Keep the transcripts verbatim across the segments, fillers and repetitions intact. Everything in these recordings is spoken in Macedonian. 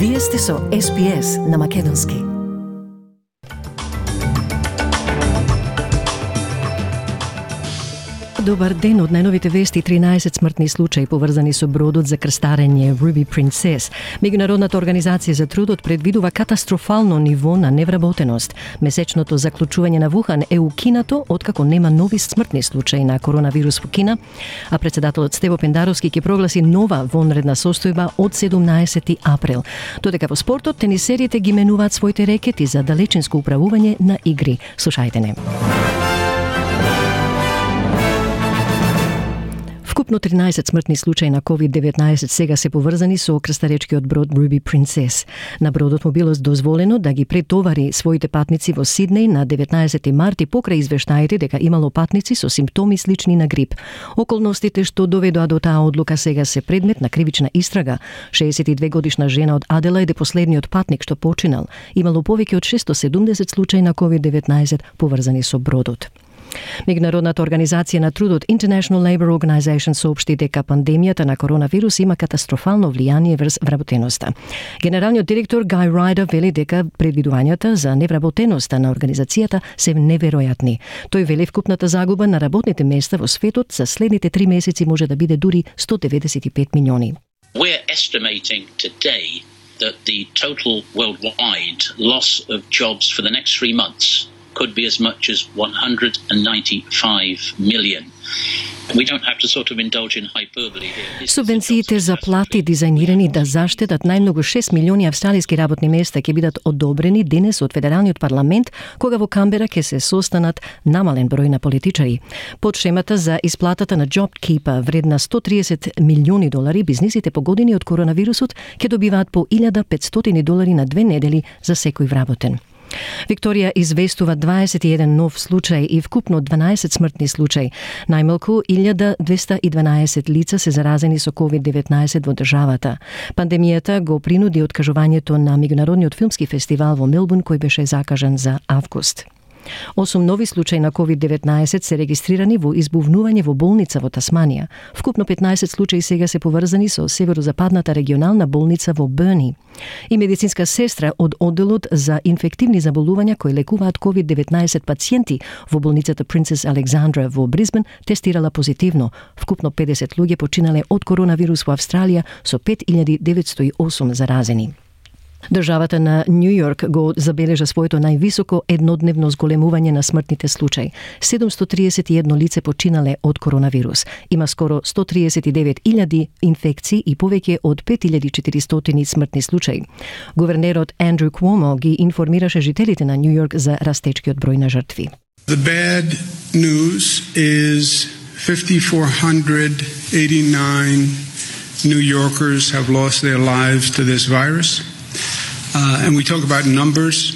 Вие сте со Ес Би Ес на Македонски. Добар ден, од најновите вести тринаесет смртни случаи поврзани со бродот за крстарење Ruby Princess. Меѓународната организација за трудот предвидува катастрофално ниво на невработеност. Месечното заклучување на Вухан е укинато откако нема нови смртни случаи на коронавирус во Кина, а председателот Стево Пендаровски ќе прогласи нова вонредна состојба од седумнаесети април. Додека во спортот тенисерите ги менуваат своите рекети за далечинско управување на игри. Слушајте не. Вкупно тринаесет смртни случаи на ковид деветнаесет сега се поврзани со крстаречкиот брод Ruby Princess. На бродот му било дозволено да ги претовари своите патници во Сиднеј на деветнаесети март и покрај извештаите дека имало патници со симптоми слични на грип. Околностите што доведоа до таа одлука сега се предмет на кривична истрага. шеесет и две годишна жена од Аделаид е последниот патник што починал. Имало повеќе од шестоста и седумдесет случаи на ковид деветнаесет поврзани со бродот. Меѓународната организација на трудот International Labour Organization соопшти дека пандемијата на коронавирус има катастрофално влијание врз вработеноста. Генералниот директор Гај Рајдер вели дека предвидувањата за невработеноста на организацијата се неверојатни. Тој вели вкупната загуба на работните места во светот за следните три месеци може да биде дури сто деветдесет и пет милиони. We're estimating today that the total worldwide loss of jobs for the next three months could be as much as one hundred ninety-five million. We don't have to sort of indulge in hyperbole here. Субвенциите за плати дизајнирани да заштедат најмногу шест милиони австралиски работни места ќе бидат одобрени денес од Федералниот парламент, кога во Камбера ќе се состанат намален број на политичари. Под шемата за исплатата на JobKeeper вредна сто триесет милиони долари, бизнисите погодени од коронавирусот ќе добиваат по илјада петстотини долари на две недели за секој вработен. Викторија известува дваесет и еден нов случај и вкупно дванаесет смртни случаи. Најмалку илјада двесте и дванаесет лица се заразени со ковид деветнаесет во државата. Пандемијата го принуди откажувањето на меѓународниот филмски фестивал во Мелбурн кој беше закажан за август. Осум нови случаи на ковид деветнаесет се регистрирани во избувнување во болница во Тасманија. Вкупно петнаесет случаи сега се поврзани со северозападната регионална болница во Берни. И медицинска сестра од одделот за инфективни заболувања кои лекуваат ковид деветнаесет пациенти во болницата Princess Alexandra во Брисбен тестирала позитивно. Вкупно педесет луѓе починале од коронавирус во Австралија со пет илјади деветсто и осум заразени. Државата на Нью Йорк го забележа своето највисоко еднодневно зголемување на смртните случаи. седумсто триесет и едно лице починале од коронавирус. Има скоро сто триесет и девет илјади инфекции и повеќе од пет илјади и четиристотини смртни случаи. Гувернерот Андрю Куомо ги информираше жителите на Нью Йорк за растечкиот број на жртви. The bad news is five thousand four hundred eighty-nine New Yorkers have lost their lives to this virus. Uh, and we talk about numbers,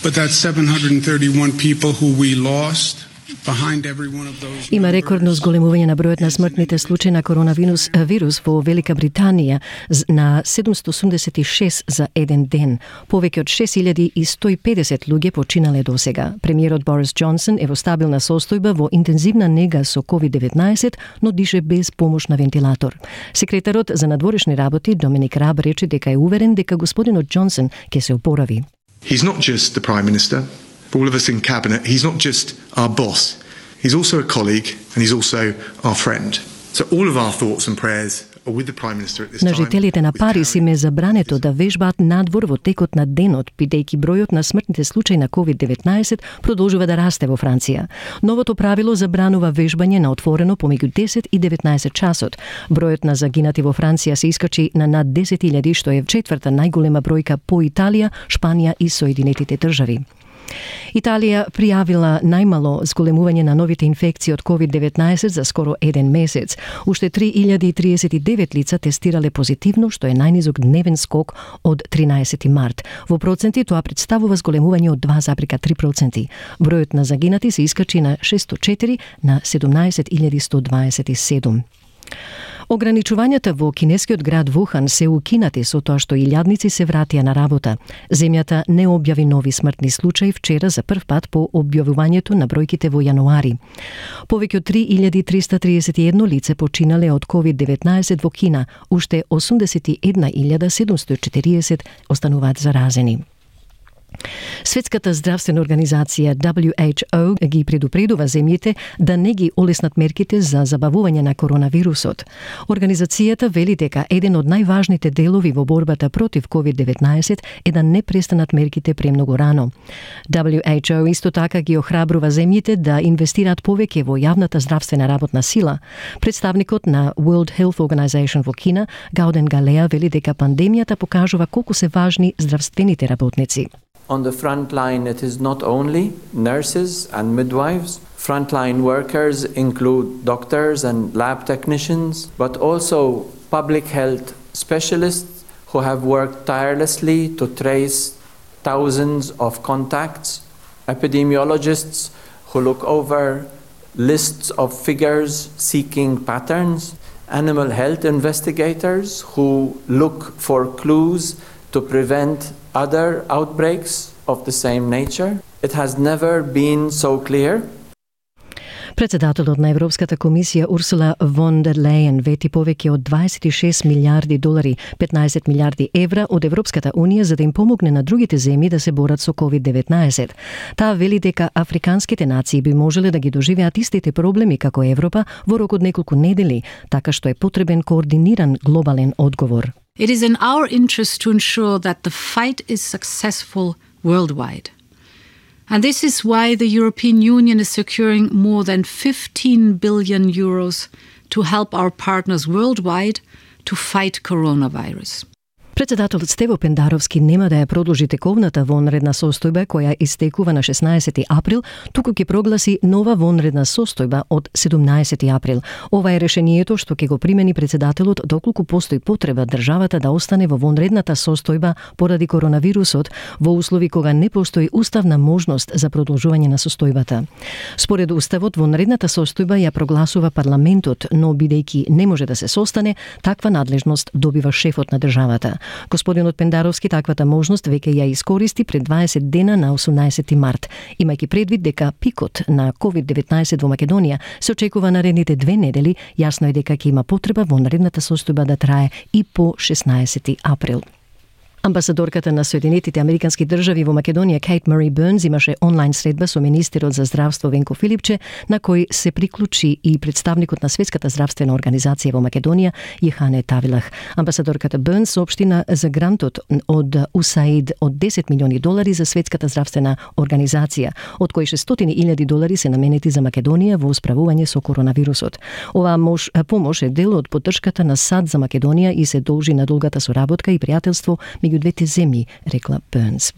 but that's seven hundred thirty-one people who we lost. Behind every one of those Има рекордно зголемување на бројот на смртните случаи на коронавирус вирус во Велика Британија на седумсто осумдесет и шест за еден ден. Повеќе од шест илјади и сто и педесет луѓе починале досега. Премиерот Борис Џонсон е во стабилна состојба во интензивна нега со ковид деветнаесет, но дише без помош на вентилатор. Секретарот за надворешни работи Доминик Раб рече дека е уверен дека господинот Џонсон ќе се опорави. He's not just the Prime Minister. For all of us in cabinet, he's not just our boss, he's also a colleague and he's also our friend. So all of our thoughts and prayers are with the Prime Minister at this time. На жителите на Париз им е забрането да вежбаат надвор во текот на денот, бидејќи бројот на смртните случаи на ковид деветнаесет продолжува да расте во Франција. Новото правило забранува вежбање на отворено помеѓу десет и деветнаесет часот. Бројот на загинати во Франција се искачи на над десет илјади, што е четврта најголема бројка по Италија, Шпанија и Соединетите држави. Италија пријавила најмало зголемување на новите инфекции од ковид деветнаесет за скоро еден месец. Уште три илјади триесет и девет лица тестирале позитивно, што е најнизок дневен скок од тринаесети март. Во проценти тоа представува зголемување од два зарез три проценти. Бројот на загинати се искачи на шестстотчетири на седумнаесет илјади сто дваесет и седум. Ограничувањата во кинескиот град Вухан се укинати со тоа што илјадници се вратија на работа. Земјата не објави нови смртни случаи вчера за прв пат по објавувањето на бројките во јануари. Повеќе од три илјади триста триесет и едно лице починале од ковид деветнаесет во Кина, уште осумдесет и една илјада седумстотини и четириесет остануваат заразени. Светската здравствена организација W H O ги предупредува земјите да не ги олеснат мерките за забавување на коронавирусот. Организацијата вели дека еден од најважните делови во борбата против ковид деветнаесет е да не престанат мерките премногу рано. W H O исто така ги охрабрува земјите да инвестираат повеќе во јавната здравствена работна сила. Представникот на World Health Organization во Кина, Гауден Галеа, вели дека пандемијата покажува колку се важни здравствените работници. On the front line, it is not only nurses and midwives. Frontline workers include doctors and lab technicians, but also public health specialists who have worked tirelessly to trace thousands of contacts, epidemiologists who look over lists of figures seeking patterns, animal health investigators who look for clues to prevent other outbreaks of the same nature. It has never been so clear. Председателот на Европската комисија Урсула фон дер Лејен вети повеќе од дваесет и шест милиарди долари, петнаесет милиарди евра од Европската унија за да им помогне на другите земји да се борат со ковид деветнаесет. Таа вели дека африканските нации би можеле да ги доживеат истите проблеми како Европа во рок од неколку недели, така што е потребен координиран глобален одговор. It is in our interest to ensure that the fight is successful worldwide. And this is why the European Union is securing more than fifteen billion euros to help our partners worldwide to fight coronavirus. Председателот Стево Пендаровски нема да ја продолжи тековната вонредна состојба која истекува на шеснаесети април, туку ќе прогласи нова вонредна состојба од седумнаесети април. Ова е решението што ќе го примени председателот доколку постои потреба државата да остане во вонредната состојба поради коронавирусот во услови кога не постои уставна можност за продолжување на состојбата. Според уставот, вонредната состојба ја прогласува парламентот, но бидејќи не може да се состане, таква надлежност добива шефот на државата. Господинот Пендаровски таквата можност веќе ја искористи пред дваесет дена на осумнаесети март, имајќи предвид дека пикот на ковид деветнаесет во Македонија се очекува наредните две недели, јасно е дека ќе има потреба вонредната состојба да трае и по шеснаесети април. Амбасадорката на Соединетите Американски држави во Македонија Кейт Мари Бернс имаше онлайн средба со министерот за здравство Венко Филипче, на кој се приклучи и представникот на Светската здравствена организација во Македонија Јехане Тавилах. Амбасадорката Бернс соопштина за грантот од У С А И Д од десет милиони долари за Светската здравствена организација, од кои шестстотини илјади долари се наменети за Македонија во справување со коронавирусот. Оваа мош, помош е дел од поддршката на САД за Македонија и се должи на долгата соработка и пријателство меѓу двете земји, рекла Бернс.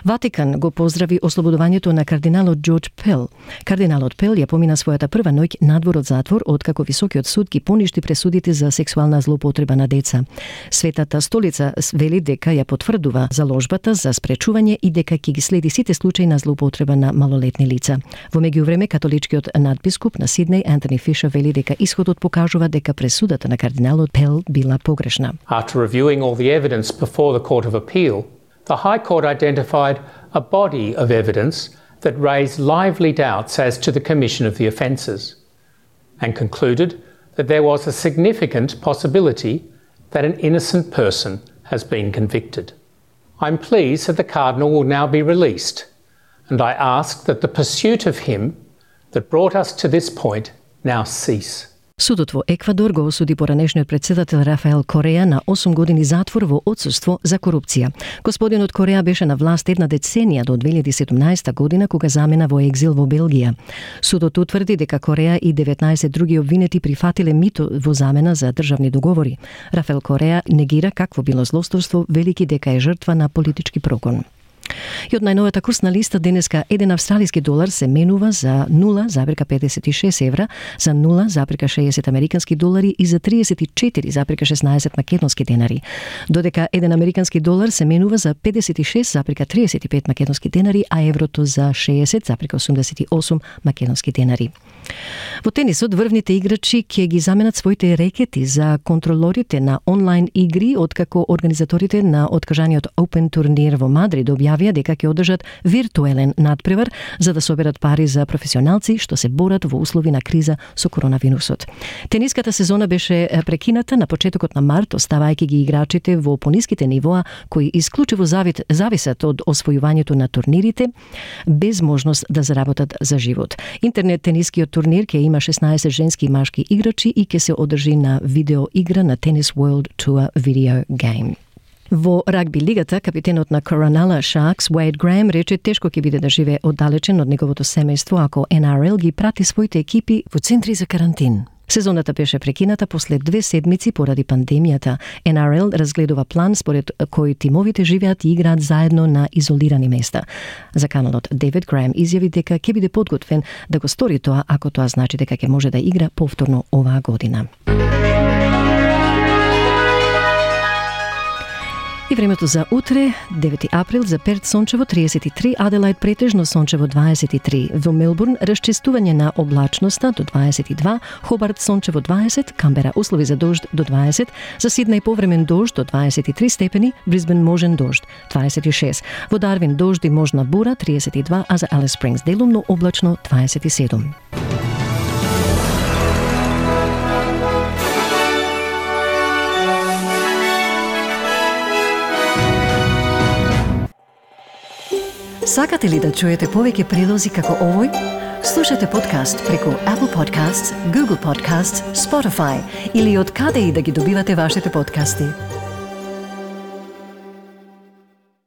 Ватикан го поздрави ослободувањето на кардиналот Џорџ Пел. Кардиналот Пел ја помина својата прва ноќ надвор од затвор откако високиот суд ги поништи пресудите за сексуална злоупотреба на деца. Светата столица вели дека ја потврдува заложбата за спречување и дека ќе ги следи сите случаи на злоупотреба на малолетни лица. Во меѓувреме, католичкиот надбискуп на Сиднеј Антони Фишер вели дека исходот покажува дека пресудата на кардиналот Пел била погрешна. After reviewing all the evidence before the Court of Appeal, the High Court identified a body of evidence that raised lively doubts as to the commission of the offences and concluded that there was a significant possibility that an innocent person has been convicted. I'm pleased that the Cardinal will now be released, and I ask that the pursuit of him that brought us to this point now cease. Судот во Еквадор го осуди поранешниот председател Рафаел Кореја на осум години затвор во отсуство за корупција. Господинот Кореја беше на власт една деценија до две илјади и седумнаесета година кога замена во екзил во Белгија. Судот утврди дека Кореја и деветнаесет други обвинети прифатиле мито во замена за државни договори. Рафаел Кореја негира какво било злосторство, велики дека е жртва на политички прогон. И од најновата курсна листа денеска еден австралиски долар се менува за нула зарез педесет и шест евра, за нула зарез шеесет американски долари и за триесет и четири зарез шеснаесет македонски денари. Додека еден американски долар се менува за педесет и шест зарез триесет и пет македонски денари, а еврото за шеесет зарез осумдесет и осум македонски денари. Во тенисот, врвните играчи ќе ги заменат своите рекети за контролорите на онлайн игри, откако организаторите на откажаниот Open турнир во Мадрид објавија дека ќе одржат виртуелен надпревар за да соберат пари за професионалци што се борат во услови на криза со коронавирусот. Тениската сезона беше прекината на почетокот на март, оставајќи ги играчите во пониските нивоа кои исклучиво зависат од освојувањето на турнирите без можност да заработат за живот. Интернет тенискиот турнир ќе има шеснаесет женски и машки играчи и ќе се одржи на видео игра на Tennis World Tour Video Game. Во рагби лигата, капитенот на Coronella Sharks, Wade Graham, рече тешко ќе биде да живее оддалечен од неговото семејство ако Н Р Л ги прати своите екипи во центри за карантин. Сезоната беше прекината после две седмици поради пандемијата. Н Р Л разгледува план според кој тимовите живеат и играат заедно на изолирани места. За каналот Дейвид Граем изјави дека ќе биде подготвен да го стори тоа ако тоа значи дека ќе може да игра повторно оваа година. И времето за утре, девети април, за Перт сончево триесет и три, Аделајд претежно сончево дваесет и три, во Мелбурн расчистување на облачноста до дваесет и два, Хобарт сончево дваесет, Камбера услови за дожд до дваесет, за Сиднеј повремен дожд до дваесет и три степени, Брисбен можен дожд дваесет и шест, во Дарвин дожд и можна бура триесет и два, а за Алис Спрингс делумно облачно дваесет и седум. Сакате ли да чуете повеќе прилози како овој? Слушате подкаст преку Apple Podcasts, Google Podcasts, Spotify или од каде и да ги добивате вашите подкасти.